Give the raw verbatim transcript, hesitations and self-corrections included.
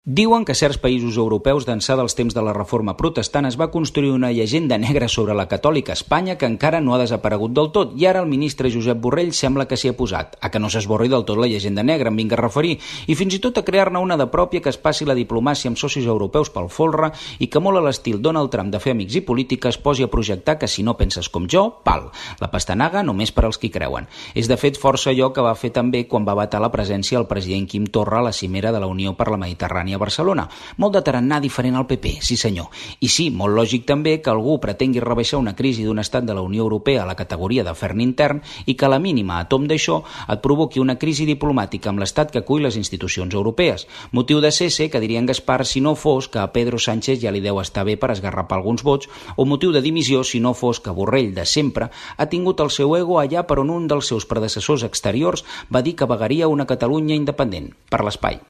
Diuen que certs països europeus d'ençà dels temps de la Reforma Protestant es va construir una llegenda negra sobre la catòlica Espanya que encara no ha desaparegut del tot i ara el ministre Josep Borrell sembla que s'hi ha posat, a que no s'esborri del tot la llegenda negra, em vinga a referir, i fins i tot a crear-ne una de pròpia que es passi la diplomàcia amb socis europeus pel folre i que molt a l'estil Donald Trump de fer amics i política es posi a projectar que si no penses com jo, pal, la pastanaga només per als qui creuen. És de fet força allò que va fer també quan va vetar la presència el president Quim Torra a la cimera de la Unió per la Mediterrània a Barcelona. Molt de tarannà diferent al P P, sí senyor. I sí, molt lògic també que algú pretengui rebaixar una crisi d'un estat de la Unió Europea a la categoria d'afern intern i que a la mínima a tom d'això et provoqui una crisi diplomàtica amb l'estat que acull les institucions europees. Motiu de cese, que diria en Gaspar, si no fos que a Pedro Sánchez ja li deu estar bé per esgarrapar alguns vots, o motiu de dimissió si no fos que Borrell, de sempre, ha tingut el seu ego allà per on un dels seus predecessors exteriors va dir que vagaria una Catalunya independent, per l'espai.